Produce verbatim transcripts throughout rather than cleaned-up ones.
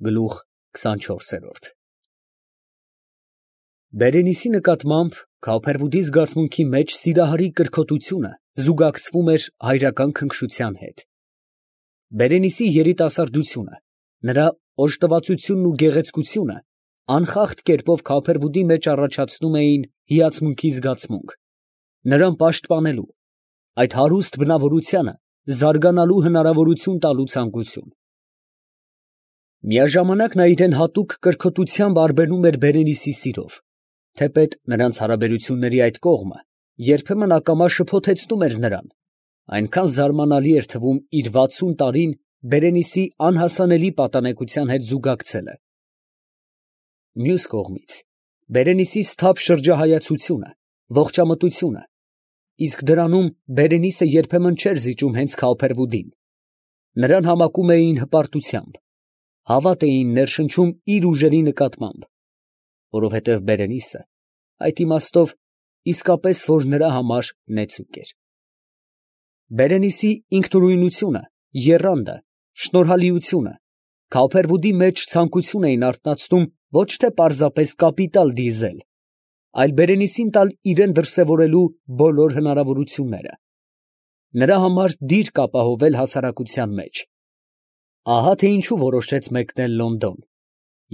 Գլուխ քսանչորսերորդ Բերենիսի նկատմամբ Քավփերվուդի զգացմունքի մեջ սիրահարի կրքոտությունը զուգակցվում էր հայրական քնքշության հետ. Բերենիսի երիտասարդությունը, նրա օժտվածությունն ու գեղեցկությունը անխախտ կերպով Քավփերվուդի մեջ առաջացնում էին հիացմունքի զգացմունք, նրան պաշտպանելու, այդ հարուստ բնավորությանը զարգանալու հնարավորություն տալու ցանկություն։ Միաժամանակ նա իրան հատուկ կրքոտությամբ արբերում էր Բերենիսի սիրով, թեպետ նրանց հարաբերությունների այդ կողմը երբեմն ակամա շփոթեցնում էր նրան, այնքան զարմանալի էր թվում իր վաթսուն տարին Բերենիսի անհասանելի պատանեկության հետ զուգակցելը։ Մյուս կողմից, Բերենիսի սթափ շրջահայացությունը, ողջամտությունը, իսկ դրանում Բերենիսը երբեմն չէր զիջում հենց Քավփերվուդին, նրան համակում էին հպարտությամբ, հավատ էին ներշնչում իր ուժերի նկատմամբ, որովհետև Բերենիսը այդ իմաստով իսկապես որ նրա համար նեցուկ էր։ Բերենիսի ինքնուրույնությունը, եռանդը, շնորհալիությունը Քավփերվուդի մեջ ցանկություն էին արթնացնում ոչ թե պարզապես կապիտալ դիզել, այլ Բերենիսին տալ իրան դրսևորելու բոլոր հնարավորությունները, նրա համար դիրք ապահովել հասարակության մեջ։ Ահա թե ինչու որոշեց մեկնել Լոնդոն,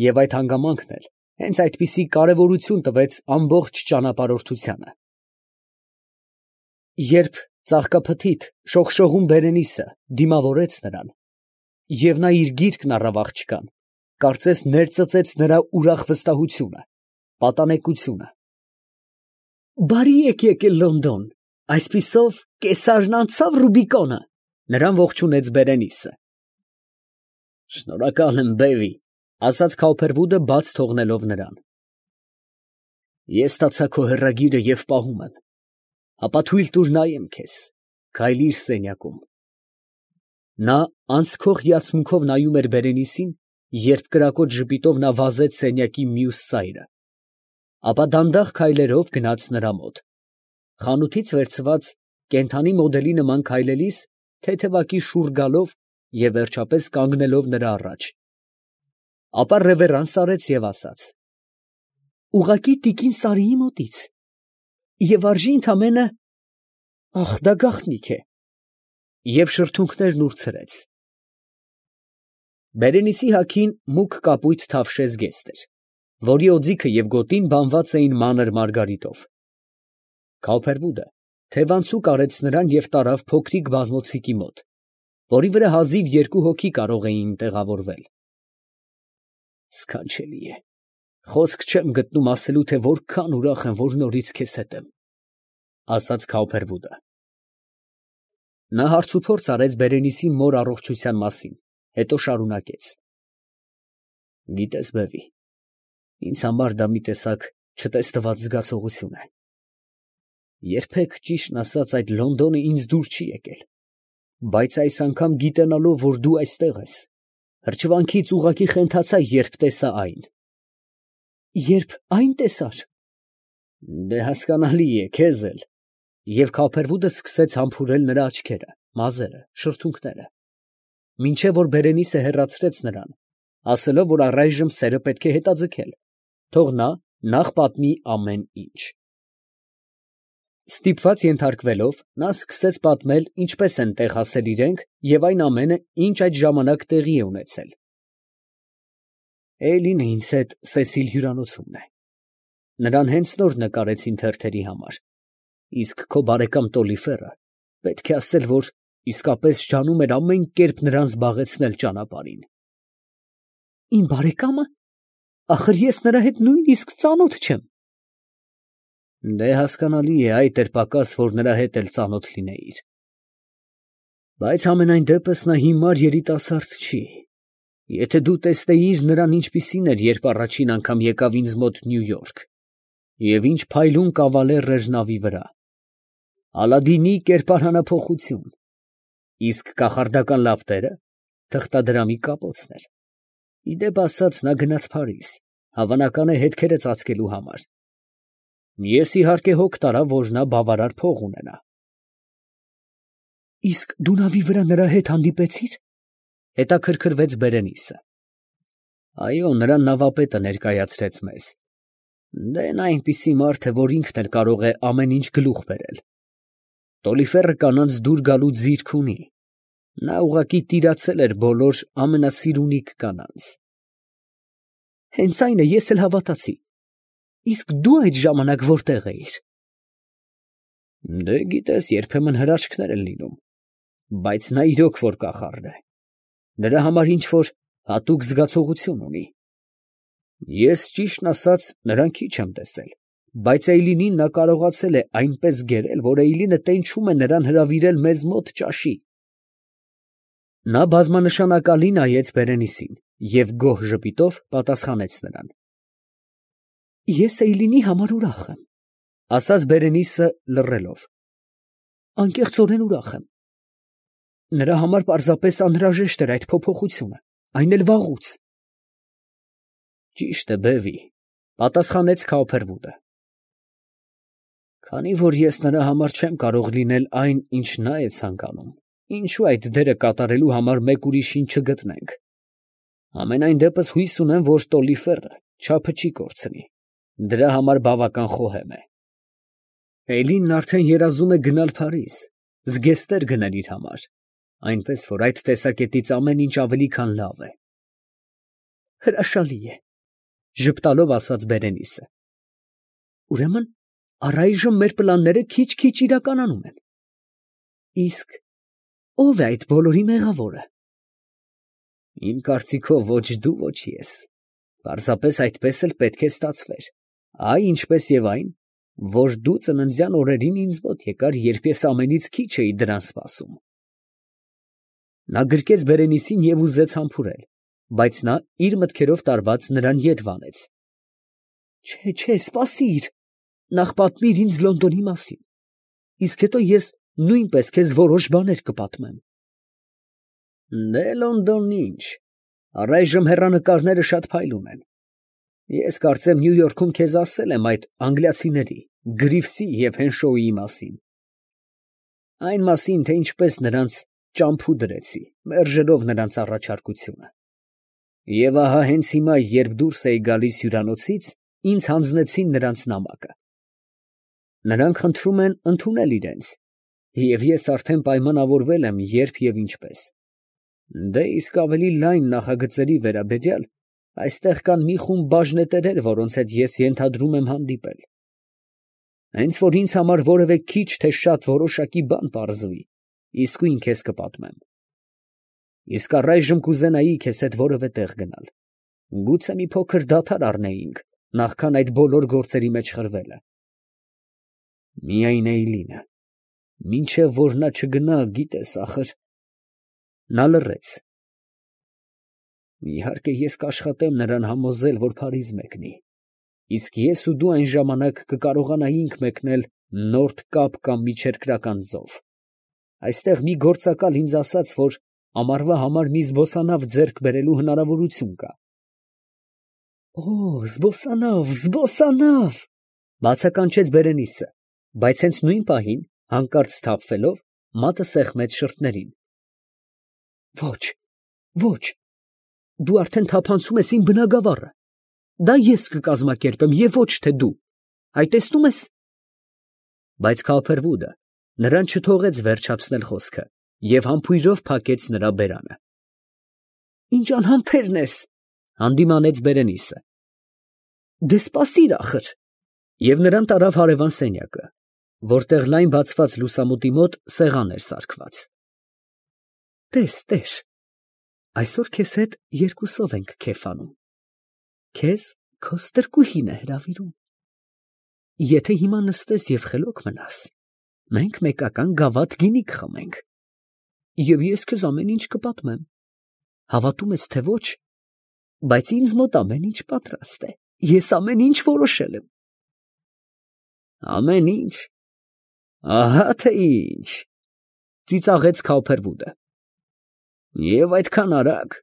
և այդ հանգամանքն էլ հենց այդպիսի կարևորություն տվեց ամբողջ ճանապարհորդությանը։ Երբ ծաղկափթիթ շողշողուն Բերենիսը դիմավորեց նրան, և նա իր գիրկն առավ աղջկան, կարծես ներծծեց նրա ուրախ վստահությունը, պատանեկությունը։ «Բարի եք եկել Լոնդոն, այսպիսով կեսարն անցա՞վ Ռուբիկոնը», ֊ նրան ողջունեց Բերենիսը։ «Շնորհակալ եմ, բեվի», ֊ ասաց Քավփերվուդը, բաց թողնելով նրան։ «Ես ստացա քո հեռագիրը և պահում եմ, հապա թույլ տուր նայեմ քեզ, քայլիր սենյակում»։ Նա անսքող հիացմունքով նայում էր Բերենիսին, երբ կրակոտ ժպիտով նա վազեց սենյակի մյուս ծայրը, ապա դանդաղ քայլերով գնաց նրա մոտ, խանութից վերցված կենդանի մոդելի նման քայլելիս թեթևակի շուռ գալով և վերջապես կանգնելով նրա առաջ, ապա ռևերանս արեց և ասաց. «Ուղղակի տիկին Սարիի մոտից, և արժի ընդամենը… ախ, դա գաղտնիք է», և շրթունքներն ուրցրեց։ Բերենիսի հագին մուգ կապույտ թավշե զգեստ էր, որի օձիքը և գոտին բանված էին մանր մարգարիտով։ Քավփերվուդը թևանցուկ արեց նրան և տարավ փոքրիկ բազմոցիկի մոտ, որի վրա հազիվ երկու հոգի կարող էին տեղավորվել։ «Սքանչելի է, խոսք չեմ գտնում ասելու, թե որքան ուրախ եմ, որ նորից քեզ հետ եմ», ֊ ասաց Քավփերվուդը։ Նա հարցուփորձ արեց Բերենիսի մոր առողջության մասին, հետո շարունակեց. «Գիտես, բևի, ինձ համար դա մի տեսակ չտեսնված զգացողություն է. երբեք, ճիշտն ասած, այդ Լոնդոնը ինձ դուր չի եկել, բայց այս անգամ գիտենալով, որ դու այստեղ ես, հրճվանքից ուղղակի խենթացա, երբ տեսա այն»։ «Երբ այն տեսար»։ «Դե հասկանալի է, քեզ էլ», և Քավփերվուդը սկսեց համբուրել նրա աչքերը, մազերը, շրթունքները, մինչև որ Բերենիսը հեռացրեց նրան, ասելով, որ առայժմ սերը պետք է հետաձգել, թող նա նախ պատմի ամեն ինչ։ Ստիպված ենթարկվելով, նա սկսեց պատմել, ինչպես են տեղ հասել իրենք և այն ամենը, ինչ այդ ժամանակ տեղի է ունեցել։ «Էյլին ինձ հետ Սեսիլ հյուրանոցումն է. նրան հենց նոր նկարեցին թերթերի համար, իսկ քո բարեկամ Տոլիֆերը, պետք է ասել, որ իսկապես ջանում էր ամեն կերպ նրան զբաղեցնել ճանապարհին»։ «Իմ բարեկա՞մը, ախր ես նրա հետ նույնիսկ ծանոթ չեմ»։ «Դե հասկանալի է, այդ էր պակաս, որ նրա հետ էլ ծանոթ լինեիր, բայց համենայն դեպս նա հիմար երիտասարդ չի, եթե դու տեսնեիր նրան ինչպիսին էր, երբ առաջին անգամ եկավ ինձ մոտ Նյու Յորք, և ինչ փայլուն կավալեր էր նավի վրա, Ալադինի կերպարանափոխություն, իսկ կախարդական լապտերը թղթադրամի կապոցն էր։ Ի դեպ ասած, նա գնաց Փարիզ, հավանական է հետքերը ծածկելու համար։ Ես իհարկե հոգ տարա, որ նա բավարար փող ունենա»։ «Իսկ դու նավի վրա նրա հետ հանդիպեցի՞ր», ֊ հետաքրքրվեց Բերենիսը։ Այո, նրան նավապետը ներկայացրեց մեզ։ Դե նա այնպիսի մարդ է, որ ինքն էլ կարող է ամեն ինչ գլուխ բերել։ Տոլիֆերը կանանց դուր գալու ձիրք ունի։ Նա ուղղակի տիրացել էր բոլոր ամենասիրունիկ կանանց։ Հենց այն է, ես էլ հավատացի։ Իսկ դու այդ ժամանակ որտեղ էիր։ Դե գիտես, երբեմն հրաշքներ են լինում, բայց նա իրոք որ կախարդ է։ Դրա համար ինչ որ հատուկ զգացողություն ունի։ Ես ճիշտն ասած նրան քիչ եմ տեսել, բայց Էյլինին նա կարողացել է այնպես գերել, որ Էյլինը տենչում է նրան հրավիրել մեզ մոտ ճաշի։ Նա բազմանշանակալի նայեց Բերենիսին և գոհ ժպիտով պատասխանեց նրան։ Ես Էյլինի համար ուրախ եմ, ասաց Բերենիսը լռելով։ Անկեղծորեն ուրախ եմ։ Նրա համար պարզապես անհրաժեշտ էր այդ փոփոխությունը, այն էլ վաղուց։ Ճիշտ է, բևի, պատասխանեց Քաուփերվուդը։ Քանի որ ես նրա համար չեմ կարող լինել այն, ինչ նա է ցանկանում, ինչու այդ դերը կատարելու համար մեկ ուրիշին չգտնենք։ Ամենայն դեպս հույս ունեմ, որ Տոլիֆերը չափը չի կորցնի։ Դրա համար բավական խոհեմ է։ Էյլինն արդեն երազում է գնալ Փարիզ, զգեստներ գնել իր համար, այնպես որ այդ տեսակետից ամեն ինչ ավելի քան լավ է։ Հրաշալի է, ժպտալով ասաց Բերենիսը։ Ուրեմն առայժմ մեր պլանները քիչ-քիչ իրականանում են։ Իսկ ո՞վ է այդ բոլորի մեղավորը։ Իմ կարծիքով ոչ դու, ոչ ես։ Պարզապես այդպես էլ պետք է ստացվեր։ Այ ինչպես եւ այն, որ դու ծննդյան օրերին ինձ մոտ եկար, երբ ես ամենից քիչ էի դրան սպասում։ Նա գրկեց Բերենիսին և ուզեց համբուրել, բայց նա իր մտքերով տարված նրան ետ վանեց։ Չէ, չէ, սպասիր, նախ պատմիր ինձ Լոնդոնի մասին, իսկ հետո ես նույնպես քեզ որոշ բաներ կպատմեմ։ Դե Լոնդոնն ինչ, առայժմ հեռանկարները շատ փայլում են։ Ես կարծեմ Նյու Յորքում քեզ ասել եմ այդ անգլիացիների, Գրիվսի և Հենշոուի մասին։ Այն մասին, թե ինչպես նրանց ճամփու դրեցի, մերժելով նրանց առաջարկությունը։ Եվ ահա հենց հիմա, երբ դուրս էի գալիս հյուրանոցից, ինձ հանձնեցին նրանց նամակը։ Նրանք խնդրում են ընդունել իրենց, և ես արդեն պայմանավորվել եմ, երբ և ինչպես։ Դե իսկ ավելի լայն նախագծերի վերաբերյալ այստեղ կան մի խումբ բաժնետերեր, որոնց հետ ես ենթադրում եմ հանդիպել։ Հենց որ ինձ համար որևէ քիչ թե շատ որոշակի բան պարզվի, իսկույն քեզ կպատմեմ։ Իսկ առայժմ կուզենայի քեզ հետ որևէ տեղ գնալ։ Գուցե մի փոքր դադար առնեինք, նախքան այդ բոլոր գործերի մեջ խրվելը։ Միայն Էյլինը, մինչև որ նա չգնա, գիտես, ախր… Նա լռեց։ Իհարկե, ես կաշխատեմ նրան համոզել, որ Փարիզ մեկնի, իսկ ես ու դու այն ժամանակ կկարողանայինք մեկնել Նորթ Կապ կամ Միջերկրական ծով։ Այստեղ մի գործակալ ինձ ասաց, որ ամառվա համար մի զբոսանավ ձեռք բերելու հնարավորություն կա։ Օ, զբոսանավ, զբոսանավ, բացականչեց Բերենիսը, բայց հենց նույն պահին, հանկարծ սթափվելով, մատը սեղմեց շրթերին։ Ոչ, ոչ, դու արդեն թափանցում ես իմ բնագավառը։ Դա ես կկազմակերպեմ և ոչ թե դու, այ տեսնում ես։ Բայց Քաուփերվուդը նրան չթողեց վերջացնել խոսքը և համբույրով փակեց նրա բերանը։ Ինչ անհամբերն ես, հանդիմանեց Բերենիսը։ Դե սպասիր ախր։ Եվ նրան տարավ հարևան սենյակը, որտեղ լայն բացված լուսամուտի մոտ սեղան էր սարքված։ Տես, տեր, այսօր քեզ հետ երկուսով ենք քեֆանում։ Քեզ քո ստրկուհին է հրավիրում։ Եթե հիմա նստես և խելոք մնաս, մենք մեկական գավաթ գինի կխմենք։ Եվ ես քեզ ամեն ինչ կպատմեմ։ Հավատում ես, թե ոչ, բայց ինձ մոտ ամեն ինչ պատրաստ է։ Ես ամեն ինչ որոշել եմ։ Ամեն ինչ։ Ահա թե ինչ, ծիծաղեց Քաուփերվուդը։ Եվ այդքան արագ,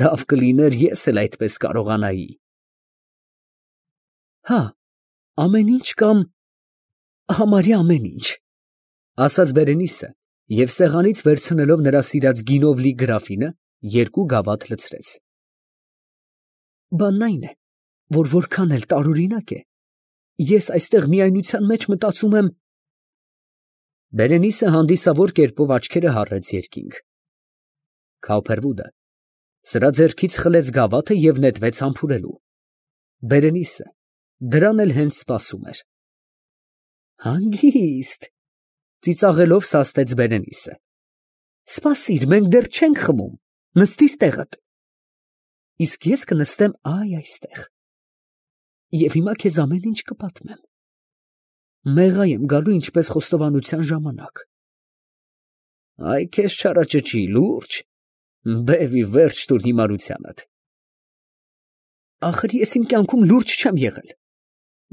լավ կլիներ ես էլ այդպես կարողանայի։ Հա, ամեն ինչ կամ համարյա ամեն ինչ, ասաց Բերենիսը և սեղանից վերցնելով նրա սիրած գինով լի գրաֆինը, երկու գավաթ լցրեց։ Բանն այն է, որ որքան էլ տարօրինակ է, ես այստեղ միայնության մեջ մտածում եմ… Բերենիսը հանդիսավոր կերպով աչքերը հառեց երկինք։ Քավփերվուդը սրա ձեռքից խլեց գավաթը և նետվեց համբուրելու։ Բերենիսը դրան էլ հենց սպասում էր։ Հանգիստ… ծիծաղելով սաստեց Բերենիսը։ Սպասիր, մենք դեռ չենք խմում, նստիր տեղդ։ Իսկ ես կնստեմ այ այստեղ։ Եվ հիմա քեզ ամեն ինչ կպատմեմ։ Մեղա եմ գալու ինչպես խոստովանության ժամանակ։ Այ քեզ չարաճճի, լուրջ, բեև ի վերջ տուր հիմարությանդ։ Ախր ես իմ կյանքում լուրջ չեմ եղել։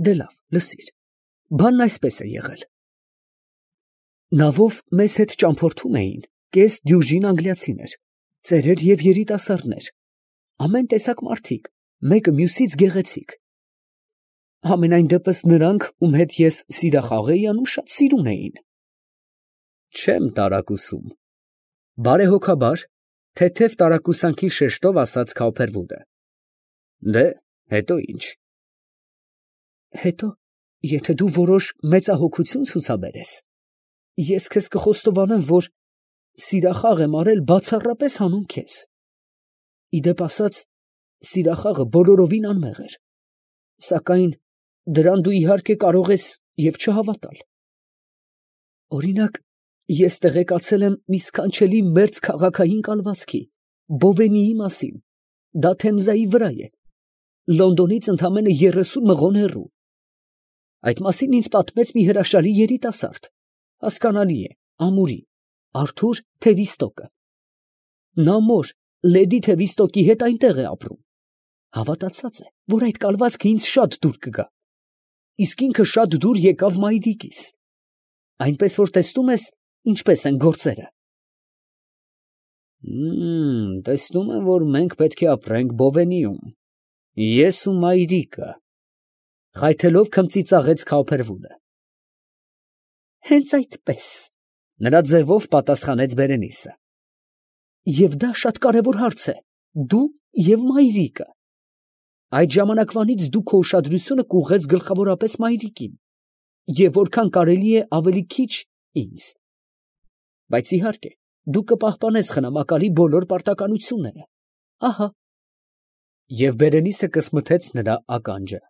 Դե լավ, լսիր, բանն այսպես է եղել։ Նավով մեզ հետ ճամփորդում էին կես դյուժին անգլիացիներ, ծերեր և երիտասարդներ, ամեն տեսակ մարդիկ, մեկը մյուսից գեղեցիկ։ Համենայն դեպս նրանք, ում հետ ես սիրախաղ էի անում, շատ սիրուն էին։ Չեմ տարակուսում, բարեհոգաբար, թեթև տարակուսանքի շեշտով ասաց Քավփերվուդը։ Դե, հետո ինչ։ Հետո, եթե դու որոշ մեծահոգություն ցուցաբերես, ես քեզ կխոստովանեմ, որ սիրախաղ եմ արել բացառապես հանուն քեզ։ Իդեպ ասած, սիրախաղը բոլորովին անմեղ էր, սակայն դրան դու իհարկե կարող ես և չհավատալ։ Օրինակ, ես տեղեկացել եմ մի սքանչելի մերձ քաղաքային կալվածքի, Բովենիի մասին, դա Թեմզայի վրա է, Լոնդոնից ընդամենը երեսուն մղոն հեռու։ Այդ մասին ինձ պատմեց մի հրաշալի երիտասարդ, հասկանալի է, ամուրի, Արթուր Թևիստոկը։ Նա մոր, լեդի Թևիստոկի հետ այնտեղ է ապրում, հավատացած է, որ այդ կալվածքը ինձ շատ դուր կգա, իսկ ինքը շատ դուր եկավ մայրիկիս, այնպես որ տեսնում ես, ինչպես են գործերը։ Մմ, տեսնում եմ, որ մենք պետք է ապրենք Բովենիում, ես ու մայրիկը, խայթելով քմծիծաղեց Քավփերվուդը։ Հենց այդպես, նրա ձևով պատասխանեց Բերենիսը։ Եվ դա շատ կարևոր հարց է, դու և մայրիկը։ Այդ ժամանակվանից դու քո ուշադրությունը կուղղեց գլխավորապես մայրիկին, և որքան կարելի է ավելի քիչ ինձ։ Բայց իհարկե, դու կպահպանես խնամակալի բոլոր պարտականությունները, ահա։ Եվ Բերենիսը կսմթեց նրա ականջը։